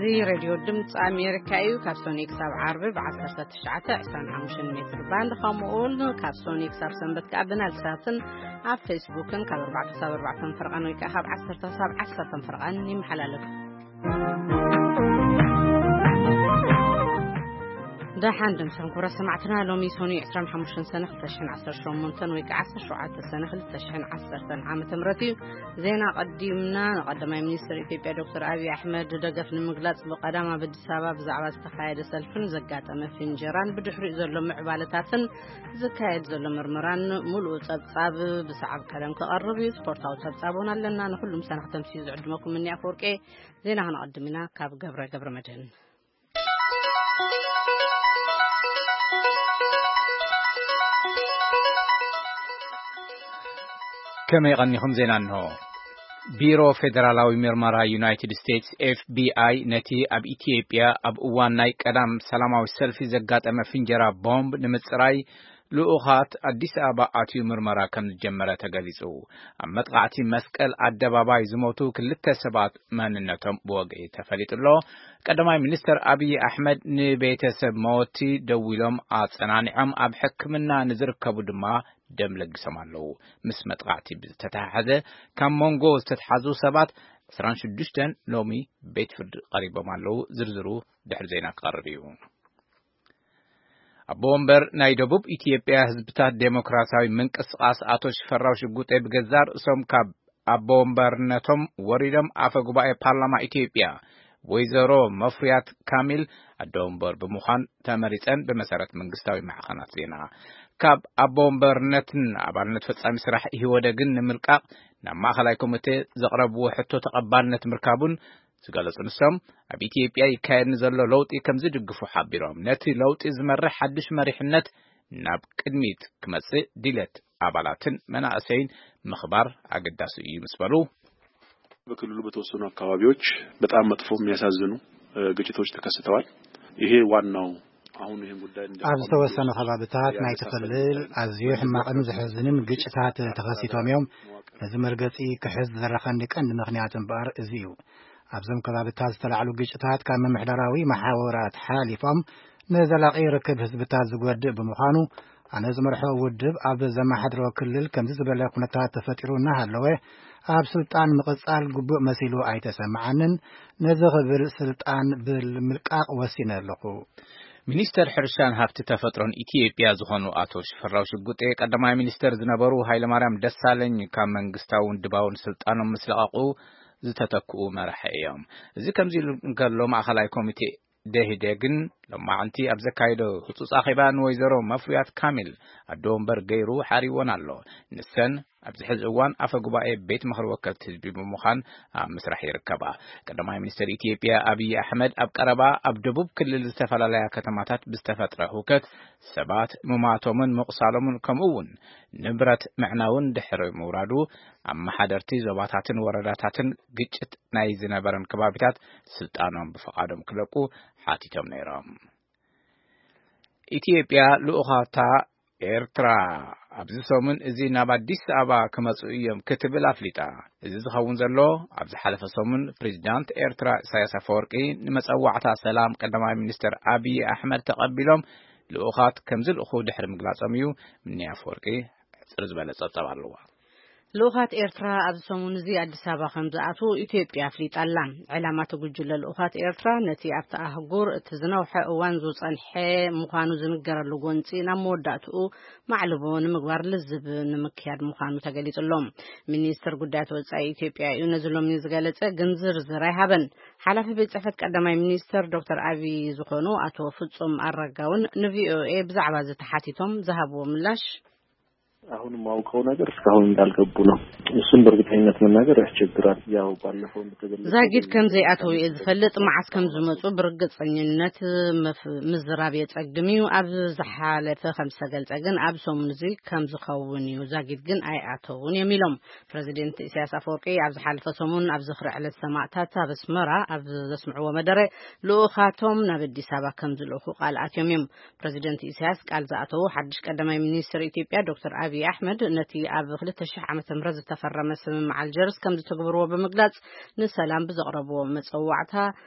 እዚ ሬድዮ ድምፂ ኣሜሪካ እዩ። ካብ ሶኒ ክሳብ ዓርቢ ብ19፣ 25 ሜትር ባንድ፣ ከምኡ እውን ካብ ሶኒ ክሳብ ሰንበት ከዓ ብናይል ሳትን ኣብ ፌስቡክን ካብ ኣርባዕተ ክሳብ ኣርባዕተ ፈርቓን ወይ ከዓ ካብ ዓሰርተ ክሳብ ዓሰርተ ፈርቓን ይመሓላለፍ። ደሓን ድምፅን ክቡራት ሰማዕትና፣ ሎሚ ሶኒ ዕስራን ሓሙሽተን ሰነ ክልተ ሽሕን ዓሰርተ ሸሞንተን ወይ ከዓ ዓሰርተ ሸውዓተ ሰነ ክልተ ሽሕን ዓሰርተን ዓመተ ምህረት እዩ። ዜና ቀዲምና። ንቀዳማይ ሚኒስትር ኢትዮጵያ ዶክተር ኣብይ ኣሕመድ ደገፍ ንምግላጽ ብቀዳም ኣብ ኣዲስ ኣበባ ብዛዕባ ዝተኻየደ ሰልፍን ዘጋጠመ ፍንጀራን ብድሕሪኡ ዘሎ ምዕባለታትን ዝካየድ ዘሎ ምርመራን ሙሉእ ጸብጻብ ብሰዓብ ቀደም ክቐርብ እዩ። ስፖርታዊ ጸብጻብ እውን ኣለና። ንኹሉም ሰናኽተምሲ ዝዕድመኩም እኒ ኣፈወርቄ። ዜና ክነቐድም ኢና ካብ ገብረ ገብረ መድህን። ከመይ ቀኒኹም? ዜና እንሆ። ቢሮ ፌደራላዊ ምርመራ ዩናይትድ ስቴትስ፣ ኤፍ ቢ ኣይ፣ ነቲ ኣብ ኢትዮጵያ ኣብ እዋን ናይ ቀዳም ሰላማዊ ሰልፊ ዘጋጠመ ፍንጀራ ቦምብ ንምጽራይ ልኡኻት ኣዲስ ኣበባ ኣትዩ ምርመራ ከም ዝጀመረ ተገሊጹ። ኣብ መጥቓዕቲ መስቀል ኣደባባይ ዝሞቱ ክልተ ሰባት መንነቶም ብወግዒ ተፈሊጡ ኣሎ። ቀዳማይ ሚኒስትር ኣብይ ኣሕመድ ንቤተሰብ መወቲ ደዊሎም ኣጸናኒዖም፣ ኣብ ሕክምና ንዝርከቡ ድማ ደም ለጊሶም ኣለዉ። ምስ መጥቓዕቲ ብዝተተሓሓዘ ካብ መንጎ ዝተተሓዙ ሰባት ዕስራን ሽዱሽተን ሎሚ ቤት ፍርዲ ቀሪቦም ኣለዉ። ዝርዝሩ ድሕሪ ዜና ክቐርብ እዩ። ኣቦ ወንበር ናይ ደቡብ ኢትዮጵያ ህዝብታት ዴሞክራሲያዊ ምንቅስቓስ ኣቶ ሽፈራው ሽጉጤ ብገዛእ ርእሶም ካብ ኣቦ ወንበርነቶም ወሪዶም፣ ኣፈ ጉባኤ ፓርላማ ኢትዮጵያ ወይዘሮ መፍሪያት ካሚል ኣደ ወንበር ብምዃን ተመሪጸን፣ ብመሰረት መንግስታዊ ማዕኸናት ዜና። ካብ ኣቦ ወንበርነትን ኣባልነት ፈጻሚ ስራሕ ኢህወደግን ንምልቃቕ ናብ ማእኸላይ ኮሚቴ ዘቕረብዎ ሕቶ ተቐባልነት ምርካቡን ዝገለጹ ንሶም፣ ኣብ ኢትዮጵያ ይካየድ ንዘሎ ለውጢ ከም ዝድግፉ ሓቢሮም፣ ነቲ ለውጢ ዝመርሕ ሓድሽ መሪሕነት ናብ ቅድሚት ክመጽእ ድሌት ኣባላትን መናእሰይን ምኽባር ኣገዳሲ እዩ ምስ በሉ፣ በክልሉ በተወሰኑ አካባቢዎች በጣም መጥፎ የሚያሳዝኑ ግጭቶች ተከስተዋል። ይሄ ዋናው አሁን ይህን ጉዳይ ኣብ ዝተወሰኑ ከባብታት ናይቲ ክልል ኣዝዩ ሕማቕን ዘሕዝንን ግጭታት ተኸሲቶም እዮም። ነዚ መርገጺ ክሕዝ ዝደረኸኒ ቀንዲ ምኽንያት እምበኣር እዚ እዩ። ኣብዞም ከባብታት ዝተላዕሉ ግጭታት ካብ ምምሕዳራዊ መሓውራት ሓሊፎም ንዘላቒ ርክብ ህዝብታት ዝጎድእ ብምዃኑ፣ ኣነ ዝመርሖ ውድብ ኣብ ዘመሓድሮ ክልል ከምዚ ዝበለ ኩነታት ተፈጢሩ እናሃለወ ኣብ ስልጣን ምቕጻል ግቡእ መሲሉ ኣይተሰምዓንን። ነዚ ክብል ስልጣን ብምልቃቕ ወሲነ ኣለኹ። ሚኒስተር ሕርሻን ሃብቲ ተፈጥሮን ኢትዮጵያ ዝኾኑ ኣቶ ሽፈራው ሽጉጤ፣ ቀዳማይ ሚኒስተር ዝነበሩ ሃይለማርያም ደሳለኝ ካብ መንግስታውን ድባውን ስልጣኖም ምስ ለቐቑ ዝተተክኡ መራሒ እዮም። እዚ ከምዚ ኢሉ እንከሎ፣ ማእኸላይ ኮሚቴ ደህዴግን ሎማዕንቲ ኣብ ዘካየዶ ህጹጽ ኣኼባ ንወይዘሮ መፍሪያት ካሚል ኣደ ወንበር ገይሩ ሓሪወን ኣሎ። ንሰን ኣብዚ ሕዚ እዋን ኣፈ ጉባኤ ቤት ምኽሪ ወከልቲ ህዝቢ ብምዃን ኣብ ምስራሕ ይርከባ። ቀዳማይ ሚኒስትር ኢትዮጵያ ኣብይ ኣሕመድ ኣብ ቀረባ ኣብ ደቡብ ክልል ዝተፈላለያ ከተማታት ብዝተፈጥረ ህውከት ሰባት ምማቶምን ምቑሳሎምን ከምኡ እውን ንብረት ምዕናውን ድሕሪ ምውራዱ፣ ኣመሓደርቲ ዞባታትን ወረዳታትን ግጭት ናይ ዝነበረን ከባቢታት ስልጣኖም ብፍቓዶም ክለቁ ሓቲቶም ነይሮም። ኢትዮጵያ ልኡኻታ ኤርትራ ኣብዚ ሰሙን እዚ ናብ ኣዲስ ኣበባ ክመጹ እዮም ክትብል ኣፍሊጣ። እዚ ዝኸውን ዘሎ፣ ኣብ ዝሓለፈ ሰሙን ፕሬዚዳንት ኤርትራ ኢሳያስ ኣፈወርቂ ንመጸዋዕታ ሰላም ቀዳማይ ሚኒስትር ኣብይ ኣሕመድ ተቐቢሎም ልኡኻት ከም ዝልእኹ ድሕሪ ምግላጾም እዩ። ምኒ ኣፈወርቂ ሕጽር ዝበለ ጸብጻብ ኣለዋ። ልኡኻት ኤርትራ ኣብዚ ሰሙን እዚ ኣዲስ ኣበባ ከም ዝኣትዉ ኢትዮጵያ ኣፍሊጣ ኣላ። ዕላማ እቲ ጉጅለ ልኡኻት ኤርትራ ነቲ ኣብቲ ኣህጉር እቲ ዝነውሐ እዋን ዝጸንሐ ምዃኑ ዝንገረሉ ጎንጺ ናብ መወዳእትኡ ማዕልቦ ንምግባር ልዝብ ንምክያድ ምዃኑ ተገሊጹ ኣሎ። ሚኒስትር ጉዳያት ወጻኢ ኢትዮጵያ እዩ ነዚ ሎሚ ዝገለጸ፣ ግን ዝርዝር ኣይሃበን። ሓላፊ ቤት ጽሕፈት ቀዳማይ ሚኒስትር ዶክተር ኣብይ ዝኾኑ ኣቶ ፍጹም ኣረጋ እውን ንቪኦኤ ብዛዕባ እዚ ተሓቲቶም ዝሃብዎ ምላሽ፣ አሁን የማውቀው ነገር እስካሁን እንዳልገቡ ነው። እሱን በእርግጠኝነት መናገር ያስቸግራል። ያው ባለፈው እንደተገለጸው ዛጊድ ከም ዘይኣተው እየ ዝፈልጥ። መዓስ ከም ዝመጹ ብርግጸኝነት መፍ- ምዝራብ የጸግም እዩ። ኣብ ዝሓለፈ ከም ዝተገልጸ ግን ኣብ ሰሙን እዚ ከም ዝኸውን እዩ። ዛጊድ ግን ኣይኣተውን እዮም ኢሎም። ፕረዚደንት ኢሳያስ ኣፈወርቂ ኣብ ዝሓለፈ ሰሙን ኣብ ዝኽሪ ዕለት ሰማእታት ኣብ ኣስመራ ኣብ ዘስምዕዎ መደረ፣ ልኡኻቶም ናብ ኣዲስ ኣበባ ከም ዝልእኹ ቃል ኣትዮም እዮም። ፕረዚደንት ኢሳያስ ቃል ዝኣተዉ ሓድሽ ቀዳማይ ሚኒስትር ኢትዮጵያ ዶክተር ኣብይ ኣሕመድ ነቲ ኣብ ክልተ ሽሕ ዓመተ ምህረት ዝተፈረመ ስምምዕ ኣልጀርስ ከም ዝትግብርዎ ብምግላጽ፣ ንሰላም ብዘቕረብዎ መጸዋዕታ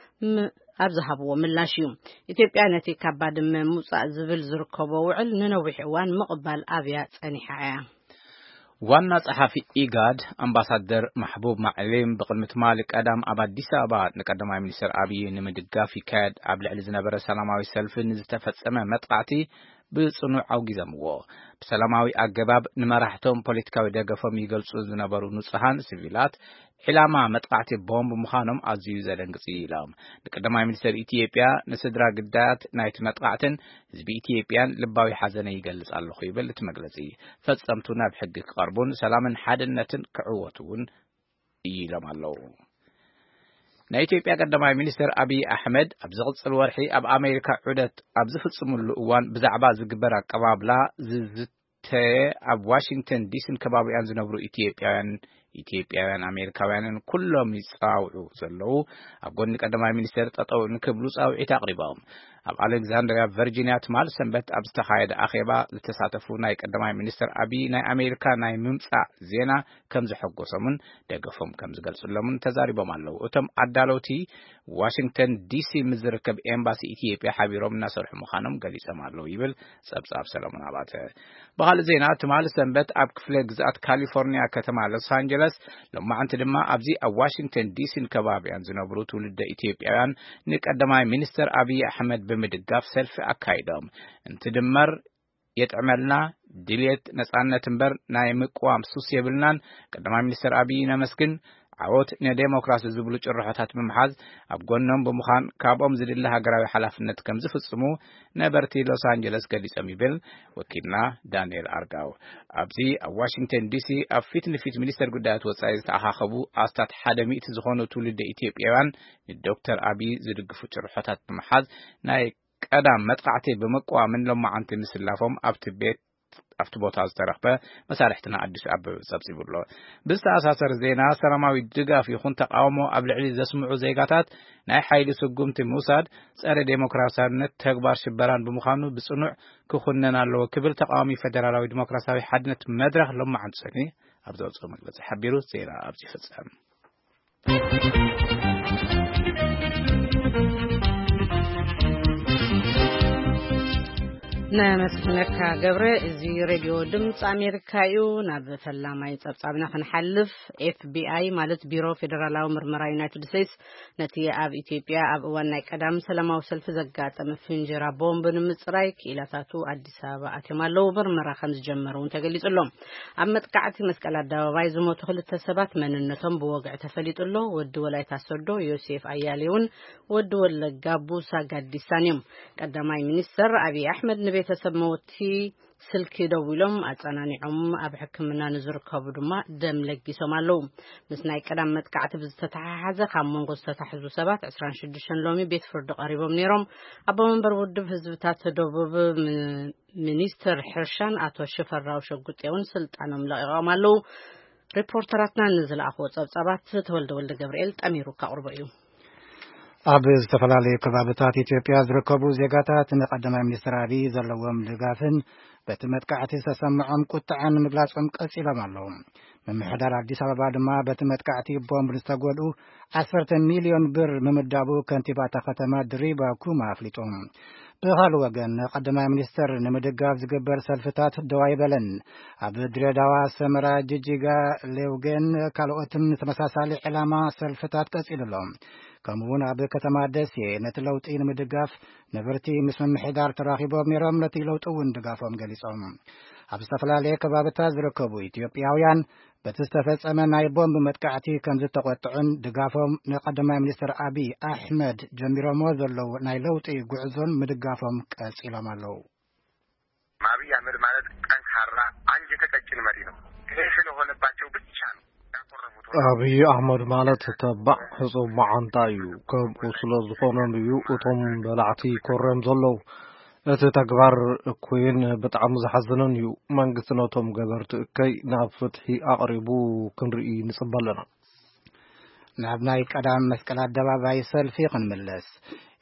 ም- ኣብ ዝሃብዎ ምላሽ እዩ። ኢትዮጵያ ነቲ ካብ ባድመ ምውጻእ ዝብል ዝርከቦ ውዕል ንነዊሕ እዋን ምቕባል ኣብያ ጸኒሓ እያ። ዋና ጸሓፊ ኢጋድ ኣምባሳደር ማሕቡብ ማዕሊም ብቕድሚ ትማሊ ቀዳም ኣብ ኣዲስ ኣበባ ንቀዳማይ ሚኒስትር ኣብይ ንምድጋፍ ይካየድ ኣብ ልዕሊ ዝነበረ ሰላማዊ ሰልፊ ንዝተፈጸመ መጥቃዕቲ ብጽኑዕ ኣውጊዘምዎ። ብሰላማዊ ኣገባብ ንመራሕቶም ፖለቲካዊ ደገፎም ይገልጹ ዝነበሩ ንጹሃን ሲቪላት ዒላማ መጥቃዕቲ ቦምብ ምዃኖም ኣዝዩ ዘደንግጽ እዩ ኢሎም። ንቀዳማይ ሚኒስትር ኢትዮጵያ ንስድራ ግዳያት ናይቲ መጥቃዕትን ህዝቢ ኢትዮጵያን ልባዊ ሓዘነ ይገልጽ ኣለኹ ይብል እቲ መግለጺ። ፈጸምቱ ናብ ሕጊ ክቐርቡን ሰላምን ሓድነትን ክዕወቱ እውን ኢሎም ኣለዉ። ናይ ኢትዮጵያ ቀዳማይ ሚኒስትር ኣብይ ኣሕመድ ኣብ ዝቕጽል ወርሒ ኣብ ኣሜሪካ ዑደት ኣብ ዝፍጽምሉ እዋን ብዛዕባ ዝግበር ኣቀባብላ ዝዝተ ኣብ ዋሽንግተን ዲሲን ከባቢኣን ዝነብሩ ኢትዮጵያውያን ኢትዮጵያውያን ኣሜሪካውያንን ኩሎም ይጻውዑ ዘለዉ ኣብ ጎኒ ቀዳማይ ሚኒስትር ጠጠው ንክብሉ ጻውዒት ኣቕሪቦም። ኣብ ኣሌክዛንድሪያ ቨርጂኒያ ትማል ሰንበት ኣብ ዝተኻየደ ኣኼባ ዝተሳተፉ ናይ ቀዳማይ ሚኒስትር ኣብይ ናይ ኣሜሪካ ናይ ምምጻእ ዜና ከም ዘሐጎሶምን ደገፎም ከም ዝገልጽሎምን ተዛሪቦም ኣለዉ። እቶም ኣዳለውቲ ዋሽንግተን ዲሲ ምስ ዝርከብ ኤምባሲ ኢትዮጵያ ሓቢሮም እናሰርሑ ምዃኖም ገሊጾም ኣለዉ ይብል ጸብጻብ ሰለሞን ኣባተ። ብኻልእ ዜና ትማሊ ሰንበት ኣብ ክፍለ ግዝኣት ካሊፎርኒያ ከተማ ሎስ ኣንጀለስ፣ ሎማዓንቲ ድማ ኣብዚ ኣብ ዋሽንግተን ዲሲን ከባቢያን ዝነብሩ ትውልደ ኢትዮጵያውያን ንቀዳማይ ሚኒስትር ኣብይ ኣሕመድ ብምድጋፍ ሰልፊ ኣካይዶም። እንትድመር የጥዕመልና ድልየት ነጻነት እምበር ናይ ምቅዋም ሱስ የብልናን። ቀዳማይ ሚኒስትር ኣብይ ነመስግን። ዓወት ንዴሞክራሲ ዝብሉ ጭርሖታት ብምሓዝ ኣብ ጎኖም ብምዃን ካብኦም ዝድለ ሃገራዊ ሓላፍነት ከም ዝፍጽሙ ነበርቲ ሎስ ኣንጀለስ ገሊጾም ይብል ወኪልና ዳንኤል ኣርጋው። ኣብዚ ኣብ ዋሽንግተን ዲሲ ኣብ ፊት ንፊት ሚኒስተር ጉዳያት ወጻኢ ዝተኣኻኸቡ ኣስታት ሓደ ሚእቲ ዝኾኑ ትውልደ ኢትዮጵያውያን ንዶክተር ኣብይ ዝድግፉ ጭርሖታት ብምሓዝ ናይ ቀዳም መጥቃዕቲ ብምቅዋምን ሎማዓንቲ ምስላፎም ኣብቲ ቤት ኣብቲ ቦታ ዝተረኽበ መሳርሕትና ኣዲስ ኣበበ ጸብጺቡ ኣሎ። ብዝተኣሳሰር ዜና ሰላማዊ ድጋፍ ይኹን ተቃውሞ ኣብ ልዕሊ ዘስምዑ ዜጋታት ናይ ሓይሊ ስጉምቲ ምውሳድ ጸረ ዴሞክራሲያነት ተግባር ሽበራን ብምዃኑ ብጽኑዕ ክኹነን ኣለዎ ክብል ተቃዋሚ ፌደራላዊ ዲሞክራሲያዊ ሓድነት መድረኽ ሎማዓንቲ ሰኒ ኣብ ዘውጽኦ መግለጺ ሓቢሩ። ዜና ኣብዚ ይፍጸም። ነመስግነካ ገብረ። እዚ ሬድዮ ድምፂ ኣሜሪካ እዩ። ናብ ፈላማይ ጸብጻብና ክንሓልፍ፣ ኤፍቢኣይ ማለት ቢሮ ፌደራላዊ ምርመራ ዩናይትድ ስቴትስ ነቲ ኣብ ኢትዮጵያ ኣብ እዋን ናይ ቀዳም ሰላማዊ ሰልፊ ዘጋጠመ ፍንጀራ ቦምብ ንምጽራይ ክኢላታቱ ኣዲስ ኣበባ ኣትዮም ኣለዉ። ምርመራ ከም ዝጀመሩ እውን ተገሊጹ ኣሎ። ኣብ መጥቃዕቲ መስቀል ኣደባባይ ዝሞቱ ክልተ ሰባት መንነቶም ብወግዒ ተፈሊጡ ኣሎ። ወዲ ወላይታ ሶዶ ዮሴፍ ኣያሌውን ወዲ ወለጋ ቡሳ ጋዲሳን እዮም። ቀዳማይ ሚኒስተር ኣብይ ኣሕመድ ንቤተሰብ መወቲ ስልኪ ደዊሎም ኣጸናኒዖም፣ ኣብ ሕክምና ንዝርከቡ ድማ ደም ለጊሶም ኣለዉ። ምስ ናይ ቀዳም መጥቃዕቲ ብዝተተሓሓዘ ካብ መንጎ ዝተታሕዙ ሰባት ዕስራን ሽዱሽተን ሎሚ ቤት ፍርዲ ቀሪቦም ነይሮም። ኣቦ መንበር ውድብ ህዝብታት ደቡብ ም-፣ ሚኒስትር ሕርሻን ኣቶ ሽፈራው ሸጉጤ እውን ስልጣኖም ለቒቖም ኣለዉ። ሪፖርተራትና ንዝለኣኽዎ ጸብጻባት ተወልደ ወልደ ገብርኤል ጠሚሩ ከቕርቦ እዩ። ኣብ ዝተፈላለዩ ከባብታት ኢትዮጵያ ዝርከቡ ዜጋታት ንቀዳማይ ሚኒስትር ኣብይ ዘለዎም ድጋፍን በቲ መጥቃዕቲ ዝተሰምዖም ቁጥዐን ምግላጾም ቀጺሎም ኣለዉ። ምምሕዳር ኣዲስ ኣበባ ድማ በቲ መጥቃዕቲ ቦምብ ዝተጎድኡ ዓሰርተ ሚልዮን ብር ምምዳቡ ከንቲባ እታ ከተማ ድሪባ ኩማ ኣፍሊጡ። ብኻልእ ወገን፣ ንቀዳማይ ሚኒስትር ንምድጋፍ ዝግበር ሰልፍታት ደው ኣይበለን። ኣብ ድሬዳዋ፣ ሰመራ፣ ጅጅጋ፣ ሌውጌን ካልኦትን ተመሳሳሊ ዕላማ ሰልፍታት ቀጺሉ ኣሎ። ከምኡውን ኣብ ከተማ ደሴ ነቲ ለውጢ ንምድጋፍ ነበርቲ ምስ ምምሕዳር ተራኺቦም ነይሮም፣ ነቲ ለውጢ እውን ድጋፎም ገሊጾም። ኣብ ዝተፈላለየ ከባብታት ዝርከቡ ኢትዮጵያውያን በቲ ዝተፈጸመ ናይ ቦምብ መጥቃዕቲ ከም ዝተቖጥዑን ድጋፎም ንቀዳማይ ሚኒስትር ኣብይ ኣሕመድ ጀሚሮሞ ዘለዉ ናይ ለውጢ ጉዕዞን ምድጋፎም ቀጺሎም ኣለዉ። አብይ አህመድ ማለት ጠንካራ አንጀተ ቀጭን መሪ ነው። ይሄ ስለሆነባቸው ብቻ ነው ያኮረፉት። ኣብይ ኣሕመድ ማለት ተባዕ ሕጹብ መዓንጣ እዩ። ከምኡ ስለ ዝኾነን እዩ እቶም በላዕቲ ኮርዮም ዘለዉ። እቲ ተግባር እኩይን ብጣዕሚ ዘሐዝንን እዩ። መንግስቲ ነቶም ገበርቲ እከይ ናብ ፍትሒ ኣቕሪቡ ክንርኢ ንጽበ ኣለና። ናብ ናይ ቀዳም መስቀል ኣደባባይ ሰልፊ ክንምለስ፣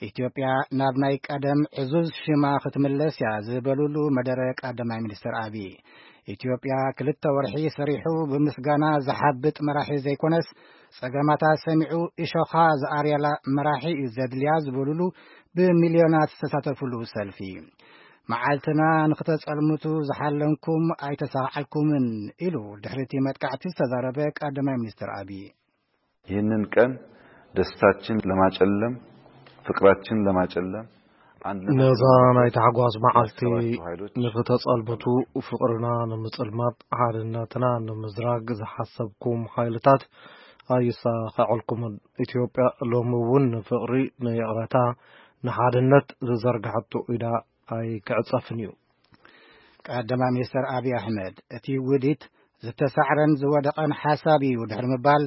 ኢትዮጵያ ናብ ናይ ቀደም ዕዙዝ ሽማ ክትምለስ እያ ዝበሉሉ መደረ ቀዳማይ ሚኒስትር ኣብይ፣ ኢትዮጵያ ክልተ ወርሒ ሰሪሑ ብምስጋና ዝሓብጥ መራሒ ዘይኮነስ፣ ጸገማታ ሰሚዑ እሾኻ ዝኣርየላ መራሒ እዩ ዘድልያ ዝበሉሉ ብሚልዮናት ዝተሳተፉሉ ሰልፊ። "መዓልትና ንኽተጸልምቱ ዝሓለንኩም ኣይተሳዕዓልኩምን" ኢሉ ድሕሪ እቲ መጥቃዕቲ ዝተዛረበ ቀዳማይ ሚኒስትር ኣብይ። ይህንን ቀን ደስታችን ለማጨለም፣ ፍቅራችን ለማጨለም፣ አንድነታችን ነዛ ለማጨለም ናይ ታሕጓስ መዓልቲ ያሰባችሁ ኃይሎች ንኽተጸልምቱ፣ ፍቕርና ንምጽልማት፣ ሓድነትና ንምዝራግ ዝሓሰብኩም ሓይልታት ኣይሳኸዐልኩምን። ኢትዮጵያ ሎሚ እውን ንፍቕሪ፣ ንይቕረታ፣ ንሓድነት ዝዘርግሐቶ ኢዳ ኣይክዕጸፍን እዩ። ቀዳማይ ሚኒስትር ኣብይ ኣሕመድ፣ እቲ ውዲት ዝተሳዕረን ዝወደቐን ሓሳብ እዩ ድሕሪ ምባል፣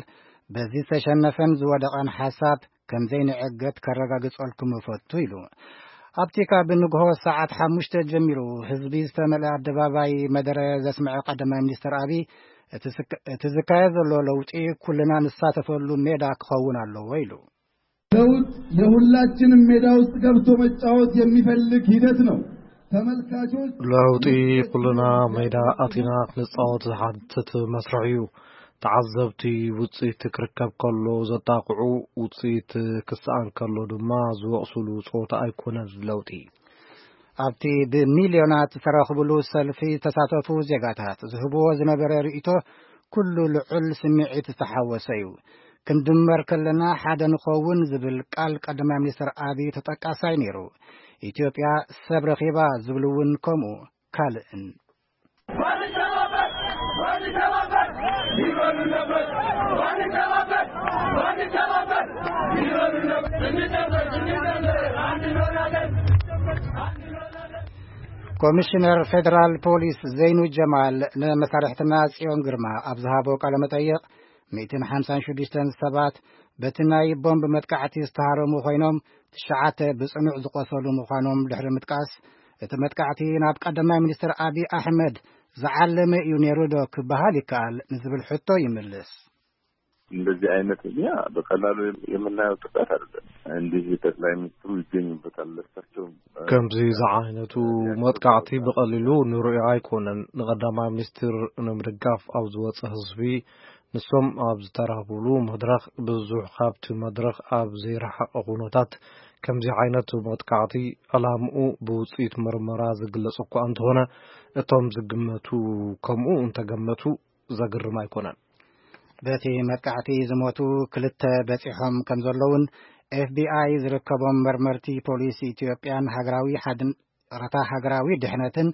በዚ ዝተሸነፈን ዝወደቐን ሓሳብ ከም ዘይንዕገት ከረጋግጸልኩም እፈቱ ኢሉ። ኣብቲ ካብ ንግሆ ሰዓት ሓሙሽተ ጀሚሩ ህዝቢ ዝተመልአ ኣደባባይ መደረ ዘስምዐ ቀዳማይ ሚኒስትር ኣብይ፣ እቲ ዝካ-፣ እቲ ዝካየድ ዘሎ ለውጢ ኩልና ንሳተፈሉ ሜዳ ክኸውን ኣለዎ ኢሉ። ለውጥ የሁላችንም ሜዳ ውስጥ ገብቶ መጫወት የሚፈልግ ሂደት ነው። ተመልካቾች ለውጢ ኩልና ሜዳ ኣቲና ክንጻወት ዝሓትት መስርሕ እዩ። ተዓዘብቲ ውጽኢት ክርከብ ከሎ ዘጣቕዑ፣ ውጽኢት ክሰኣን ከሎ ድማ ዝወቕሱሉ ጸወታ ኣይኮነን ለውጢ። ኣብቲ ብሚልዮናት ዝተረኽብሉ ሰልፊ ዝተሳተፉ ዜጋታት ዝህብዎ ዝነበረ ርእይቶ ኩሉ ልዑል ስምዒት ዝተሓወሰ እዩ። "ክንድመር ከለና ሓደ ንኸውን" ዝብል ቃል ቀዳማይ ሚኒስትር ኣብይ ተጠቃሳይ ነይሩ። "ኢትዮጵያ ሰብ ረኺባ" ዝብል እውን ከምኡ ካልእን። ኮሚሽነር ፌዴራል ፖሊስ ዘይኑ ጀማል ንመሳርሕትና ጽዮን ግርማ ኣብ ዝሃቦ ቃለ መጠይቕ፣ ሚእትን ሓምሳን ሽዱሽተን ሰባት በቲ ናይ ቦምብ መጥቃዕቲ ዝተሃረሙ ኮይኖም፣ ትሽዓተ ብጽኑዕ ዝቆሰሉ ምዃኖም ድሕሪ ምጥቃስ፣ እቲ መጥቃዕቲ ናብ ቀዳማይ ሚኒስትር ኣብይ ኣሕመድ ዝዓለመ እዩ ነይሩ ዶ ክበሃል ይከኣል ንዝብል ሕቶ ይምልስ። እንደዚህ አይነት እኛ በቀላሉ የምናየው ጥቃት አይደለም። እንዲህ ጠቅላይ ሚኒስትሩ ይገኙበታል። ለሳቸው ከምዚ ዝዓይነቱ መጥቃዕቲ ብቐሊሉ ንርእዮ ኣይኮነን። ንቐዳማይ ሚኒስትር ንምድጋፍ ኣብ ዝወጸ ህዝቢ፣ ንሶም ኣብ ዝተራኽቡሉ መድረኽ፣ ብዙሕ ካብቲ መድረኽ ኣብ ዘይረሓቐ ኩነታት፣ ከምዚ ዓይነት መጥቃዕቲ ዕላምኡ ብውጽኢት ምርመራ ዝግለጽ እኳ እንተኾነ፣ እቶም ዝግመቱ ከምኡ እንተገመቱ ዘግርም ኣይኮነን። በቲ መጥቃዕቲ ዝሞቱ ክልተ በጺሖም ከም ዘለውን፣ ኤፍቢኣይ ዝርከቦም መርመርቲ ፖሊስ ኢትዮጵያን ሃገራዊ ሓድን፣ ይቕረታ፣ ሃገራዊ ድሕነትን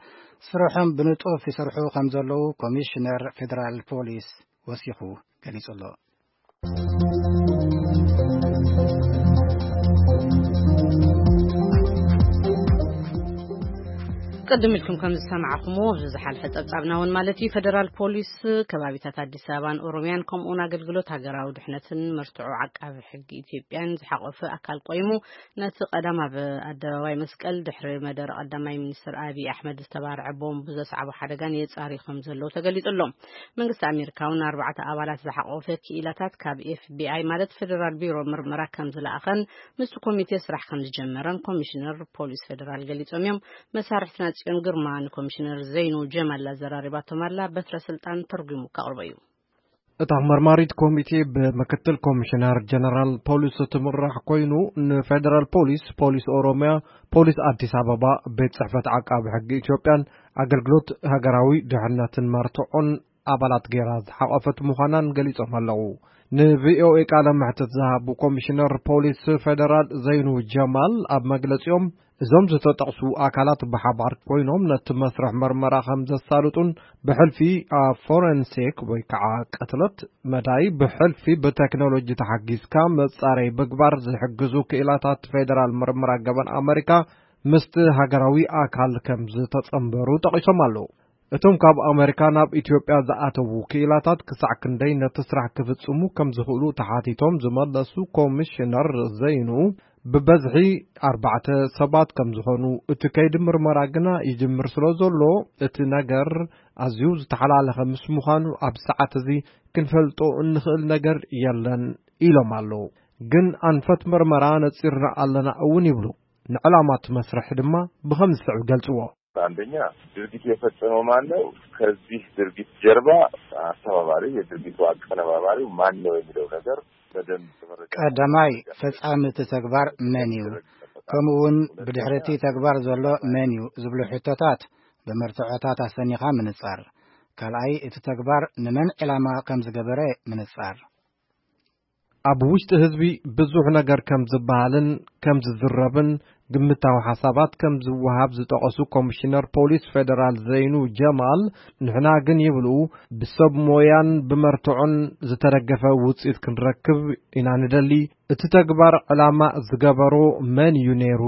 ስርሖም ብንጡፍ ይሰርሑ ከም ዘለዉ ኮሚሽነር ፌዴራል ፖሊስ ወሲኹ ገሊጹ ኣሎ። ቅድም ኢልኩም ከም ዝሰማዕኹምዎ፣ ኣብዚ ዝሓለፈ ጸብጻብና እውን ማለት እዩ፣ ፈደራል ፖሊስ ከባቢታት ኣዲስ ኣበባን ኦሮሚያን፣ ከምኡውን ኣገልግሎት ሃገራዊ ድሕነትን መርትዖ ዓቃቢ ሕጊ ኢትዮጵያን ዝሓቖፈ ኣካል ቆይሙ፣ ነቲ ቀዳም ኣብ ኣደባባይ መስቀል ድሕሪ መደረ ቀዳማይ ሚኒስትር ኣብይ ኣሕመድ ዝተባርዐ ቦምብ ዘስዓቦ ሓደጋን የጻርዩ ከም ዘለዉ ተገሊጹ ኣሎ። መንግስቲ ኣሜሪካ እውን ኣርባዕተ ኣባላት ዝሓቖፈ ክኢላታት ካብ ኤፍቢኣይ ማለት ፈደራል ቢሮ ምርመራ ከም ዝለኣኸን ምስቲ ኮሚቴ ስራሕ ከም ዝጀመረን ኮሚሽነር ፖሊስ ፈደራል ገሊጾም እዮም። መሳርሕትና ጽዮን ግርማ ንኮሚሽነር ዘይኑ ጀማል ኣዘራሪባቶም ኣላ። በትረ ስልጣን ተርጉሙ ከቕርቦ እዩ። እታ መርማሪት ኮሚቴ ብምክትል ኮሚሽነር ጀነራል ፖሊስ እትምራሕ ኮይኑ፣ ንፌደራል ፖሊስ፣ ፖሊስ ኦሮሚያ፣ ፖሊስ ኣዲስ ኣበባ፣ ቤት ጽሕፈት ዓቃቢ ሕጊ ኢትዮጵያን ኣገልግሎት ሃገራዊ ድሕነትን መርትዖን ኣባላት ገይራ ዝሓቖፈት ምዃናን ገሊጾም ኣለዉ። ንቪኦኤ ቃለ መሕትት ዝሃቡ ኮሚሽነር ፖሊስ ፌደራል ዘይኑ ጀማል ኣብ መግለጺኦም፣ እዞም ዝተጠቕሱ ኣካላት ብሓባር ኮይኖም ነቲ መስርሕ መርመራ ከም ዘሳልጡን፣ ብሕልፊ ኣብ ፎረንሲክ ወይ ከዓ ቅትለት መዳይ ብሕልፊ ብቴክኖሎጂ ተሓጊዝካ መጻረይ ምግባር ዝሕግዙ ክኢላታት ፌደራል ምርምር ኣገባን ኣመሪካ ምስቲ ሃገራዊ ኣካል ከም ዝተጸንበሩ ጠቒሶም ኣለዉ። እቶም ካብ ኣመሪካ ናብ ኢትዮጵያ ዝኣተዉ ክኢላታት ክሳዕ ክንደይ ነቲ ስራሕ ክፍጽሙ ከም ዝኽእሉ ተሓቲቶም ዝመለሱ ኮሚሽነር ዘይኑ፣ ብበዝሒ ኣርባዕተ ሰባት ከም ዝኾኑ፣ እቲ ከይዲ ምርመራ ግና ይጅምር ስለ ዘሎ፣ እቲ ነገር ኣዝዩ ዝተሓላለኸ ምስ ምዃኑ፣ ኣብ ሰዓት እዚ ክንፈልጦ እንኽእል ነገር የለን ኢሎም ኣለዉ። ግን ኣንፈት ምርመራ ነጺርና ኣለና እውን ይብሉ። ንዕላማ እቲ መስርሕ ድማ ብኸም ዝስዕብ ገልጽዎ። አንደኛ ድርጊት የፈጸመው ማን ነው? ከዚህ ድርጊት ጀርባ አስተባባሪው፣ የድርጊቱ አቀነባባሪው ማን ነው የሚለው ነገር በደንብ መረዳት ቀዳማይ ያስፈልጋል። ፈጻሚ እቲ ተግባር መን እዩ? ከምኡ እውን ብድሕሪ እቲ ተግባር ዘሎ መን እዩ ዝብሉ ሕቶታት ብመርትዖታት ኣሰኒኻ ምንጻር። ካልኣይ እቲ ተግባር ንመን ዕላማ ከም ዝገበረ ምንጻር። ኣብ ውሽጢ ህዝቢ ብዙሕ ነገር ከም ዝበሃልን ከም ዝዝረብን ግምታዊ ሓሳባት ከም ዝወሃብ ዝጠቐሱ ኮሚሽነር ፖሊስ ፌደራል ዘይኑ ጀማል፣ ንሕና ግን ይብሉ ብሰብ ሞያን ብመርትዖን ዝተደገፈ ውፅኢት ክንረክብ ኢና ንደሊ። እቲ ተግባር ዕላማ ዝገበሮ መን እዩ ነይሩ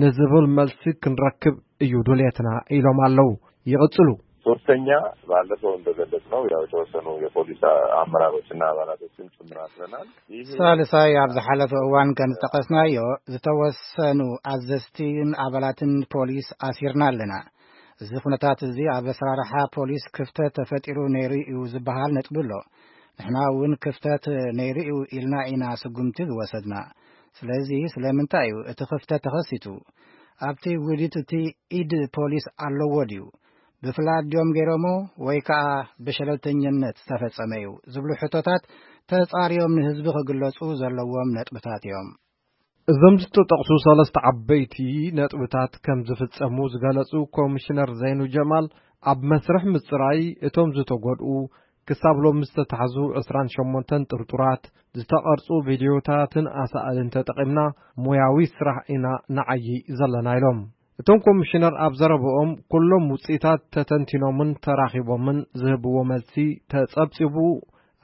ንዝብል መልሲ ክንረክብ እዩ ድሌትና ኢሎም ኣለዉ። ይቕጽሉ። ሶስተኛ፣ ባለፈው እንደገለጽነው ያው የተወሰኑ የፖሊስ አመራሮችና አባላቶችን ጭምር አስረናል። ይሄ ሳልሳይ፣ ኣብ ዝሓለፈ እዋን ከም ዝጠቐስናዮ ዝተወሰኑ ኣዘዝትን ኣባላትን ፖሊስ ኣሲርና ኣለና። እዚ ኩነታት እዚ ኣብ ኣሰራርሓ ፖሊስ ክፍተት ተፈጢሩ ነይሩ እዩ ዝበሃል ነጥቢ ኣሎ። ንሕና እውን ክፍተት ነይሩ እዩ ኢልና ኢና ስጉምቲ ዝወሰድና። ስለዚ ስለምንታይ እዩ እቲ ክፍተት ተኸሲቱ? ኣብቲ ውዲት እቲ ኢድ ፖሊስ ኣለዎ ድዩ? ብፍላጥ ድዮም ገይሮሞ ወይ ከኣ ብሸለልተኝነት ዝተፈጸመ እዩ ዝብሉ ሕቶታት ተጻርዮም ንህዝቢ ክግለጹ ዘለዎም ነጥብታት እዮም። እዞም ዝተጠቕሱ ሰለስተ ዓበይቲ ነጥብታት ከም ዝፍጸሙ ዝገለጹ ኮሚሽነር ዘይኑ ጀማል፣ ኣብ መስርሕ ምጽራይ እቶም ዝተጎድኡ ክሳብ ሎሚ ዝተታሕዙ ዕስራን ሸሞንተን ጥርጡራት፣ ዝተቐርጹ ቪድዮታትን ኣሳእልን ተጠቒምና ሞያዊ ስራሕ ኢና ንዓዪ ዘለና ኢሎም። እቶም ኮሚሽነር ኣብ ዘረብኦም፣ ኩሎም ውጽኢታት ተተንቲኖምን ተራኺቦምን ዝህብዎ መልሲ ተጸብጺቡ፣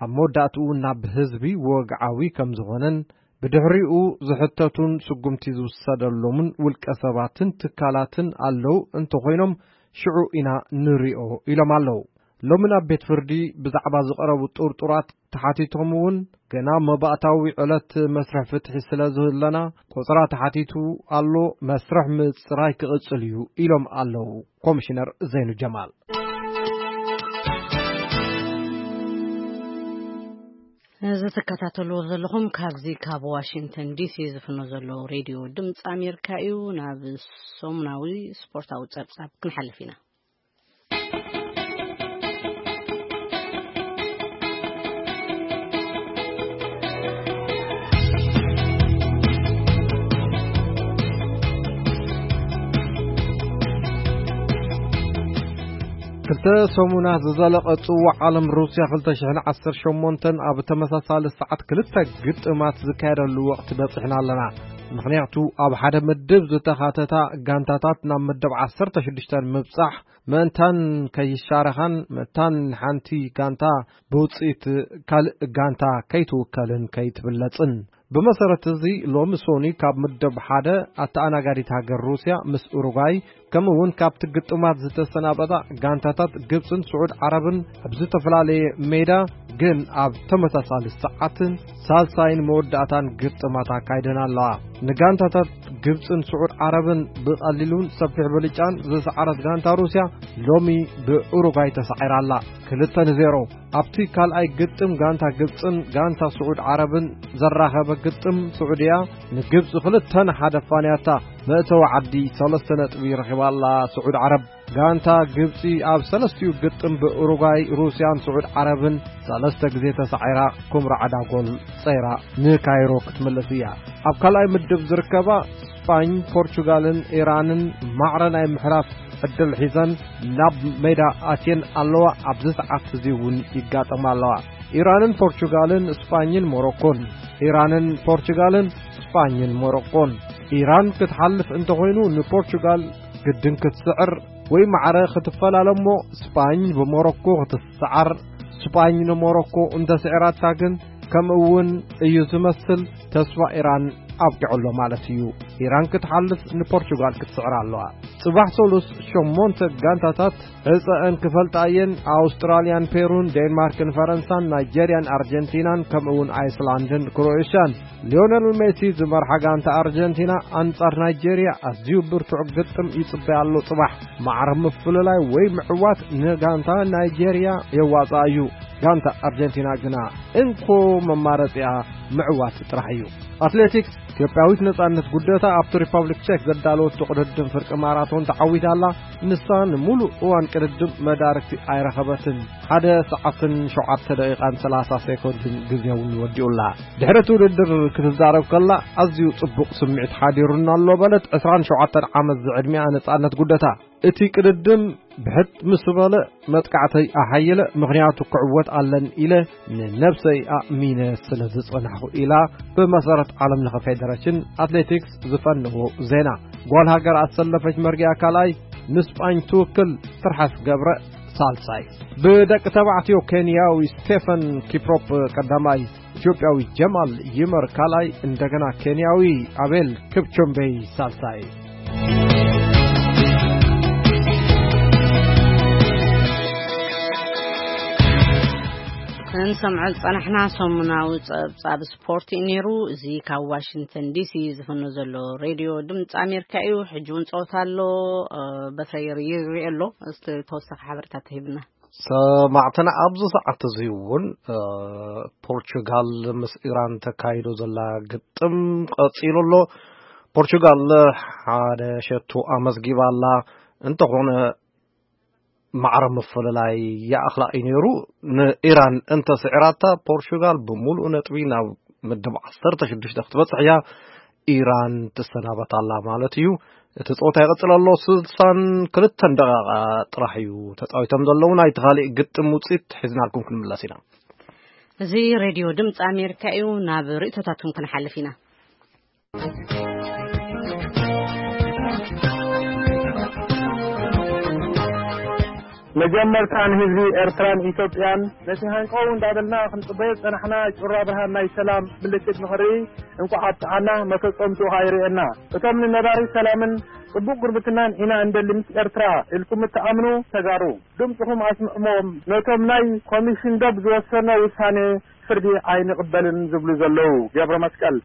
ኣብ መወዳእትኡ ናብ ህዝቢ ወግዓዊ ከም ዝኾነን ብድሕሪኡ ዝሕተቱን ስጉምቲ ዝውሰደሎምን ውልቀ ሰባትን ትካላትን ኣለዉ እንተኾይኖም ሽዑ ኢና ንሪኦ ኢሎም ኣለዉ። ሎሚ ናብ ቤት ፍርዲ ብዛዕባ ዝቐረቡ ጥርጡራት ተሓቲቶም እውን ገና መባእታዊ ዕለት መስርሕ ፍትሒ ስለ ዝህለና ቆጽራ ተሓቲቱ ኣሎ፣ መስርሕ ምጽራይ ክቕጽል እዩ ኢሎም ኣለዉ ኮሚሽነር ዘይኑ ጀማል። እዚ ትከታተልዎ ዘለኹም ካብዚ ካብ ዋሽንግተን ዲሲ ዝፍኖ ዘሎ ሬድዮ ድምፂ ኣሜሪካ እዩ። ናብ ሰሙናዊ ስፖርታዊ ጸብጻብ ክንሓልፍ ኢና። ክልተ ሰሙናት ዝዘለቐ ጽዋዕ ዓለም ሩስያ ክልተ ሽሕን ዓሰርተ ሸሞንተን ኣብ ተመሳሳሊ ሰዓት ክልተ ግጥማት ዝካየደሉ ወቕቲ በጺሕና ኣለና። ምኽንያቱ ኣብ ሓደ ምድብ ዝተኻተታ ጋንታታት ናብ መደብ ዓሰርተ ሽዱሽተ ምብጻሕ ምእንታን ከይሻረኻን ምእንታን ሓንቲ ጋንታ ብውጽኢት ካልእ ጋንታ ከይትውከልን ከይትብለጽን። ብመሰረት እዚ ሎሚ ሶኒ ካብ ምድብ ሓደ ኣተኣናጋዲት ሃገር ሩስያ ምስ ኡሩጓይ ከምኡ እውን ካብቲ ግጥማት ዝተሰናበታ ጋንታታት ግብፅን ስዑድ ዓረብን ኣብ ዝተፈላለየ ሜዳ ግን ኣብ ተመሳሳሊ ሰዓትን ሳልሳይን መወዳእታን ግጥማት ኣካይደን ኣለዋ። ንጋንታታት ግብፅን ስዑድ ዓረብን ብቐሊሉን ሰፊሕ ብልጫን ዝሰዓረት ጋንታ ሩስያ ሎሚ ብኡሩጓይ ተሳዒራ ኣላ። ክልተ ንዜሮ። ኣብቲ ካልኣይ ግጥም ጋንታ ግብፅን ጋንታ ስዑድ ዓረብን ዘራኸበ ግጥም ስዑድያ ንግብፂ ክልተ ንሓደ ፋንያታ። መእተዊ ዓዲ ሰለስተ ነጥቢ ረኺባ ኣላ ስዑድ ዓረብ። ጋንታ ግብፂ ኣብ ሰለስቲኡ ግጥም ብኡሩጓይ፣ ሩስያን ስዑድ ዓረብን ሰለስተ ግዜ ተሳዒራ፣ ኩምራ ዓዳ ጎል ጸይራ ንካይሮ ክትምለስ እያ። ኣብ ካልኣይ ምድብ ዝርከባ ስጳኝ፣ ፖርቹጋልን ኢራንን ማዕረ ናይ ምሕላፍ ዕድል ሒዘን ናብ ሜዳ ኣትየን ኣለዋ። ኣብዚ ሰዓት እዚ እውን ይጋጠማ ኣለዋ። ኢራንን ፖርቹጋልን ስጳኝን ሞሮኮን፣ ኢራንን ፖርቹጋልን ስጳኝን ሞሮኮን። ኢራን ክትሓልፍ እንተኾይኑ ንፖርቹጋል ግድን ክትስዕር ወይ ማዕረ ክትፈላለ እሞ ስጳኝ ብሞሮኮ ክትሰዓር፣ ስጳኝ ንሞሮኮ እንተስዒራታ ግን ከምኡ እውን እዩ ዝመስል፣ ተስፋ ኢራን ኣብቂዑ ኣሎ ማለት እዩ። ኢራን ክትሓልፍ ንፖርቹጋል ክትስዕር ኣለዋ። ጽባሕ ሰሉስ ሸሞንተ ጋንታታት ዕጸአን ክፈልጣ እየን። ኣውስትራልያን ፔሩን፣ ዴንማርክን ፈረንሳን፣ ናይጀርያን ኣርጀንቲናን ከምኡ እውን ኣይስላንድን ክሮኤሽያን። ሊዮነል ሜሲ ዝመርሓ ጋንታ ኣርጀንቲና ኣንጻር ናይጀርያ ኣዝዩ ብርቱዕ ግጥም ይጽበያ ኣሎ። ጽባሕ ማዕረ ምፍልላይ ወይ ምዕዋት ንጋንታ ናይጀርያ የዋጽኣ እዩ። ጋንታ ኣርጀንቲና ግና እንኮ መማረጺኣ ምዕዋት ጥራሕ እዩ። ኣትሌቲክስ፣ ኢትዮጵያዊት ነጻነት ጉደታ ኣብቲ ሪፐብሊክ ቼክ ዘዳለወቶ ቅድድም ፍርቂ ማራቶን ተዓዊታ ኣላ። ንሳ ንምሉእ እዋን ቅድድም መዳርግቲ ኣይረኸበትን። ሓደ ሰዓትን ሸውዓተ ደቂቓን ሰላሳ ሴኮንድን ግዜ እውን ወዲኡላ። ድሕሪ እቲ ውድድር ክትዛረብ ከላ፣ ኣዝዩ ጽቡቕ ስምዒት ሓዲሩና ኣሎ በለት ዕስራን ሸውዓተን ዓመት ዝዕድሚኣ ነጻነት ጉደታ። እቲ ቅድድም ብሕት ምስ በለ መጥቃዕተይ ኣሓየለ፣ ምኽንያቱ ክዕወት ኣለን ኢለ ንነብሰይ ኣእሚነ ስለ ዝጸናሕኩ ኢላ ብመሰረት ዓለም ለኸ ፌደሬሽን ኣትሌቲክስ ዝፈነዎ ዜና። ጓል ሃገር ኣሰለፈች መርጊያ ካልኣይ፣ ንስጳኝ ትውክል ትርሓስ ገብረ ሳልሳይ። ብደቂ ተባዕትዮ ኬንያዊ ስቴፈን ኪፕሮፕ ቀዳማይ፣ ኢትዮጵያዊ ጀማል ይመር ካልኣይ፣ እንደገና ኬንያዊ ኣቤል ክፕቾምቤይ ሳልሳይ። ክንሰምዖ ዝጸናሕና ሰሙናዊ ጸብጻብ ስፖርት እዩ ነይሩ። እዚ ካብ ዋሽንግተን ዲሲ ዝፍኖ ዘሎ ሬድዮ ድምፂ ኣሜሪካ እዩ። ሕጂ እውን ጸወታ ኣሎ። እ፣ በሰይር ይሪኦ ኣሎ። እስቲ ተወሳኺ ሓበሬታ ተሂብና። ሰማዕትና ኣብዚ ሰዓት እዚ እውን፣ እ፣ ፖርቹጋል ምስ ኢራን ተካይዶ ዘላ ግጥም ቀጺሉ ኣሎ። ፖርቹጋል ሓደ ሸቶ ኣመዝጊባ ኣላ። እንተኾነ ማዕረ ምፍልላይ ይኣኽላ እዩ ነይሩ። ንኢራን እንተስዒራታ፣ ፖርቹጋል ብምሉእ ነጥቢ ናብ ምድብ ዓሰርተ ሽዱሽተ ክትበጽሕ እያ። ኢራን ትሰናበት ኣላ ማለት እዩ። እቲ ጸወታ ይቕጽል ኣሎ። ስልሳን ክልተን ደቂቓ ጥራሕ እዩ ተጻዊቶም ዘለዉ። ናይቲ ካልእ ግጥም ውጽኢት ሒዝናልኩም ክንምለስ ኢና። እዚ ሬድዮ ድምፂ ኣሜሪካ እዩ። ናብ ርእይቶታትኩም ክንሓልፍ ኢና። መጀመርታ ንህዝቢ ኤርትራን ኢትዮጵያን ነቲ ሃንቀው እንዳበልና ክንጽበዮ ዝጸናሕና ጩራ ብርሃን ናይ ሰላም ምልክት ንኽርኢ እንቋዕ ኣብጽሓና፣ መፈጸምትኡ ኸኣ ይርእየና። እቶም ንነባሪ ሰላምን ጽቡቕ ጉርብትናን ኢና እንደሊ ምስ ኤርትራ ኢልኩም እትኣምኑ ተጋሩ፣ ድምጽኹም ኣስምዕዎም። ነቶም ናይ ኮሚሽን ዶብ ዝወሰኖ ውሳኔ ፍርዲ ኣይንቕበልን ዝብሉ ዘለዉ። ገብረ መስቀል።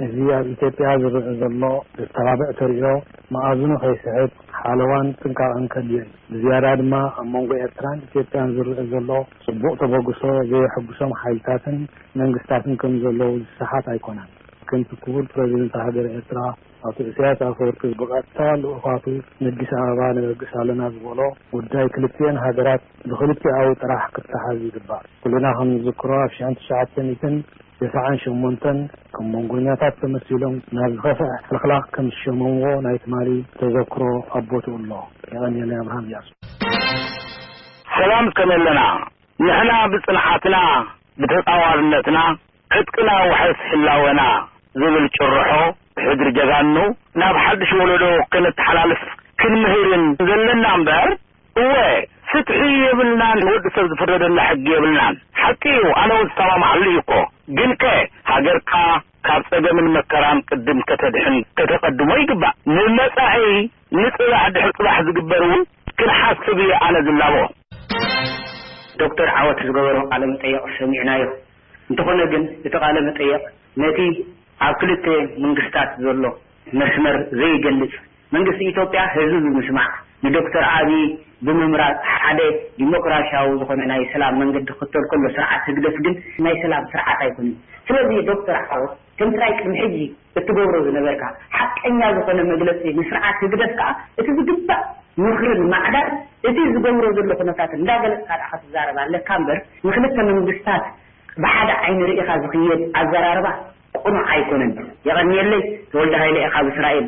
እዚ ኣብ ኢትዮጵያ ዝረአ ዘሎ ዘተባብዕ ተርእዮ መኣዝኑ ከይስሕት ሓለዋን ጥንቃቐን ከድልዮ እዩ። ብዝያዳ ድማ ኣብ መንጎ ኤርትራን ኢትዮጵያን ዝረአ ዘሎ ጽቡቕ ተበግሶ ዘየሐጉሶም ሓይልታትን መንግስታትን ከም ዘለዉ ዝሰሓት ኣይኮነን። ከምቲ ክቡር ፕረዚደንት ሃገረ ኤርትራ ኣቶ ኢሳያስ ኣፈወርቂ ብቐጥታ ልኡኻቱ ንኣዲስ ኣበባ ነበግስ ኣለና ዝበሎ፣ ጉዳይ ክልቲኤን ሃገራት ብክልቲኣዊ ጥራሕ ክተሓዝ ይግባእ። ኩልና ከም ንዝክሮ ኣብ ሽሕን ትሽዓተ ሚእትን ተስዓን ሸሞንተን ከም መንጎኛታት ተመሲሎም ናብ ዝኸፍአ ሕልኽላኽ ከም ዝሸመምዎ ናይ ትማሊ ተዘክሮ ኣብ ቦትኡ ኣሎ። የቐንየለይ። ኣብርሃም እያሱ። ሰላም ከመይ ኣለና? ንሕና ብጽንዓትና፣ ብተጻዋርነትና፣ ዕጥቅና ውሕስ ህላወና ዝብል ጭርሖ ብሕድሪ ጀጋኑ ናብ ሓድሽ ወለዶ ከነተሓላልፍ ክንምህርን ዘለና እምበር፣ እወ፣ ፍትሒ የብልናን፣ ንወዲ ሰብ ዝፍረደና ሕጊ የብልናን። ሓቂ እዩ፣ ኣነ እውን ዝሰማማዓሉ እዩ እኮ። ግንከ ሃገርካ ካብ ጸገምን መከራን ቅድም ከተድሕን ከተቐድሞ ይግባእ። ንመጻኢ ንጽባሕ ድሕሪ ጽባሕ ዝግበር እውን ክንሓስብ እየ ኣነ ዝላቦ። ዶክተር ዓወት ዝገበሮ ቃለ መጠየቕ ሰሚዕናዮ። እንተኾነ ግን እቲ ቃለ መጠየቕ ነቲ ኣብ ክልተ መንግስታት ዘሎ መስመር ዘይገልጽ፣ መንግስቲ ኢትዮጵያ ህዝቢ ብምስማዕ ንዶክተር ኣብይ ብምምራጽ ሓደ ዲሞክራሲያዊ ዝኾነ ናይ ሰላም መንገዲ ክኽተል ከሎ፣ ስርዓት ህግደፍ ግን ናይ ሰላም ስርዓት ኣይኮነን። ስለዚ ዶክተር ዓወት ከምቲ ናይ ቅድሚ ሕጂ እትገብሮ ዝነበርካ ሓቀኛ ዝኾነ መግለጺ ንስርዓት ህግደፍ ከኣ እቲ ዝግባእ ምኽርን ማዕዳን እቲ ዝገብሮ ዘሎ ኩነታት እንዳገለጽካ ደኣ ክትዛረብ ኣለካ እምበር ንክልተ መንግስታት ብሓደ ዓይኒ ርኢኻ ዝኽየድ ኣዘራርባ ቅኑዕ ኣይኮነን። የቐንየለይ። ተወልደ ሃይለ ኢኻ ብእስራኤል።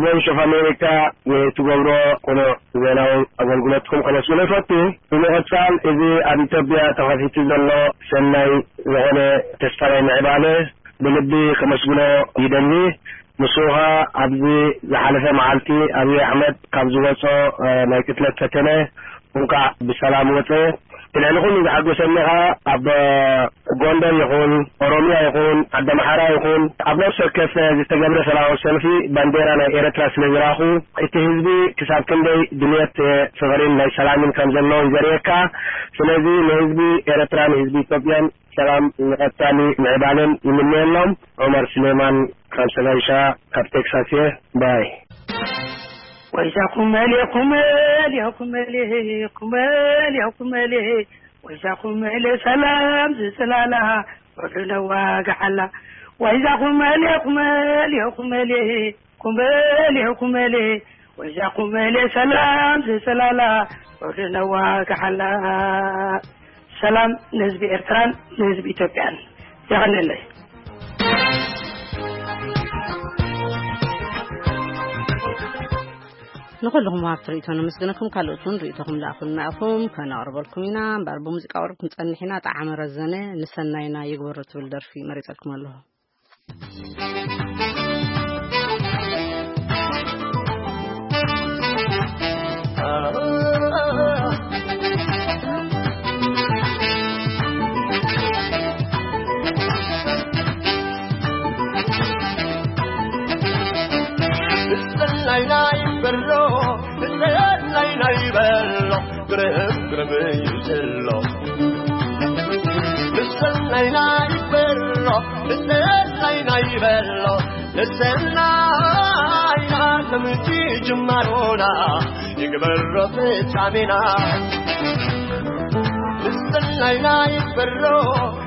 ቮይስ ኦፍ ኣሜሪካ ንትገብሮ ቅኑዕ ዜናዊ ኣገልግሎትኩም ከመስግኖ ይፈቱ። ብምቕጻል እዚ ኣብ ኢትዮጵያ ተኸፊቱ ዘሎ ሰናይ ዝኾነ ተስፋ ናይ ምዕባለ ብልቢ ከመስግኖ ይደሊ። ንሱ ኸኣ ኣብዚ ዝሓለፈ መዓልቲ ኣብይ ኣሕመድ ካብ ዝወጾ፣ እ፣ ናይ ቅትለት ፈተነ እንኳዕ ብሰላም ወጸ። ብልዕሊ ኩሉ ዝሓጎሰኒ ኸኣ ኣብ ጎንደር ይኹን፣ ኦሮሚያ ይኹን፣ ዓዲ ኣምሓራ ይኹን፣ ኣብ ነፍሲ ወከፍ ዝተገብረ ሰላማዊ ሰልፊ ባንዴራ ናይ ኤርትራ ስለ ዝረኣኹ፣ እቲ ህዝቢ ክሳብ ክንደይ ድልየት ፍቕሪን ናይ ሰላምን ከም ዘለዎ እዩ ዘርእየካ። ስለዚ ንህዝቢ ኤርትራን ህዝቢ ኢትዮጵያን ሰላም ንቐጻሊ ምዕባለን ይምነየሎም። ዑመር ስሌማን ካብ ሰጋይሻ ካብ ቴክሳስ እየ። ባይ። ወይዛ ኩመሌ ኩመሌ ኩመሌ ኩመሌ ኩመሌ ወይዛ ኩመሌ ሰላም ዝጽላላ ወርድነዋ ገሓላ። ወይዛ ኩመሌ ኩመሌ ኩመሌ ኩመሌ ኩመሌ ወይዛ ኩመሌ ሰላም ዝጽላላ ወርድነዋ ገሓላ። ሰላም ንህዝቢ ኤርትራን ንህዝቢ ኢትዮጵያን። የቐንየለይ። ንኹልኹም ወሃብቲ ርእይቶ ነመስግነኩም። ካልኦት እውን ርእይቶኹም ልኣኹልና ኢኹም፣ ከነቕርበልኩም ኢና። እምበኣር ብሙዚቃ ቅርብ ክንጸንሕ ኢና። ጠዓመ ረዘነ ንሰናይና ይግበሮ ትብል ደርፊ መሪጸልኩም ኣለኹ። ላይላይ በሎ፣ ላይላይ በሎ፣ ግርም ግርም እዩ ዘሎ። ላይላይ በሎ፣ ላይላይ በሎ፣ ንሰናይ ከምቲ ጅማሮና ይግበሮ ፍጻሜና። ንሰናይና ይበሎ፣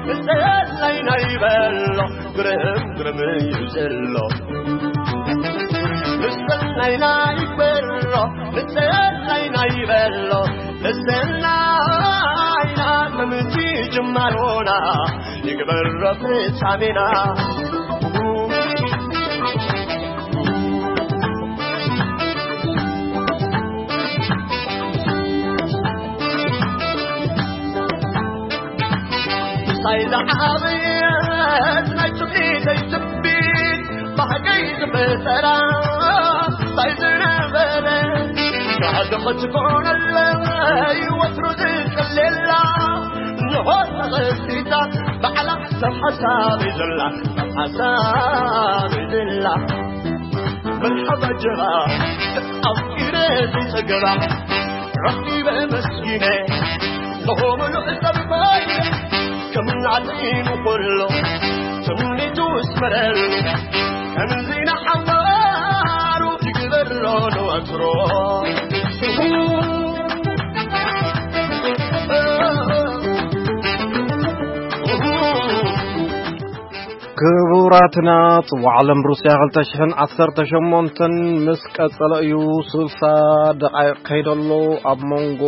ንሰናይና ይበሎ፣ ግርም ግርም እዩ ዘሎ። ንሰናይና ይበሎ፣ ንሰናይና ይበሎ፣ ንሰናይና ከምቲ ጅማሮና ይግበሮ ፍጻሜና። ሳይዛ ዓብየት ናይ ትምኒተይ ትንቢት፣ ባህገይ ዝፈጠራ ሳይ ዝነበረ፣ ጋዶ ክትኮነለይ ወትሩ ዝጽልየላ፣ ንሆ ተኸሲታ ባዕላ ሰብ ሓሳበይ ዘላ፣ ሰብ ሓሳበይ ዘላ። መርሓባ ጀራ ኣፍቂረ ዘይጸገባ ረኺበ መስኪነ ንሆ ምሉእ ሰብ ኮይነ ከም ናዕጢኑ ኩሎ ትምኒቱ ስመረሉ ከምዚ ንሓዋሩ ይግበሮ ንወትሮ። ክቡራትና፣ ጽዋዕ ዓለም ሩስያ ክልተ ሽሕን ዓሰርተ ሸሞንተን ምስ ቀጸለ እዩ። ስልሳ ደቓይቕ ከይደሎ ኣብ መንጎ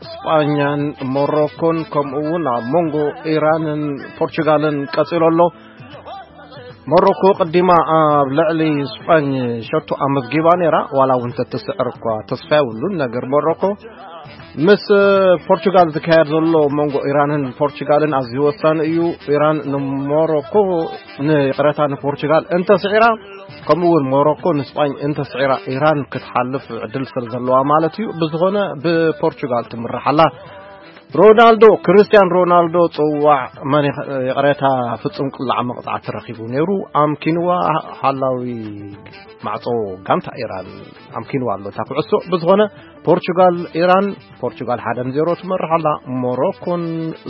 ስጳኛን ሞሮኮን ከምኡ እውን ኣብ መንጎ ኢራንን ፖርቹጋልን ቀጺሉ ኣሎ። ሞሮኮ ቅዲማ ኣብ ልዕሊ ስጳኝ ሸቶ ኣመዝጊባ ነይራ፣ ዋላ እውን ተትስዕር እኳ ተስፋ የብሉን። ነገር ሞሮኮ ምስ ፖርቹጋል ዝካየድ ዘሎ መንጎ ኢራንን ፖርቹጋልን ኣዝዩ ወሳኒ እዩ። ኢራን ንሞሮኮ ንይቕረታ ንፖርቹጋል እንተስዒራ፣ ከምኡ እውን ሞሮኮ ንስጳኝ እንተስዒራ፣ ኢራን ክትሓልፍ ዕድል ስለ ዘለዋ ማለት እዩ። ብዝኾነ ብፖርቹጋል ትምራሕ ኣላ። ሮናልዶ፣ ክርስቲያን ሮናልዶ ጽዋዕ መን ይቕ-፣ ይቕሬታ፣ ፍጹም ቅላዕ መቕጻዕቲ ረኺቡ ነይሩ። ኣምኪንዋ። ሓላዊ ማዕጾ ጋንታ ኢራን ኣምኪንዋ ኣሎ እታ ኩዕሶ። ብዝኾነ ፖርቹጋል ኢራን፣ ፖርቹጋል ሓደ ንዜሮ ትመርሕ ኣላ። ሞሮኮን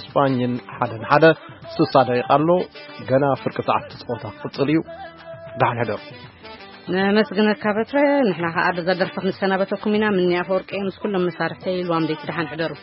ስጳኝን ሓደ ንሓደ። ስሳ ደቂቃ ኣሎ። ገና ፍርቂ ሰዓት እቲ ጸወታ ክቕጽል እዩ። ደሓን ሕደሩ። ነመስግነካ በትረ። ንሕና ከኣ በዛ ደርፊ ክንሰናበተኩም ኢና። ምኒ ኣፈወርቂ ምስ ኩሎም መሳርሕተይ ኢልዋም ደይቲ ደሓን ሕደሩ።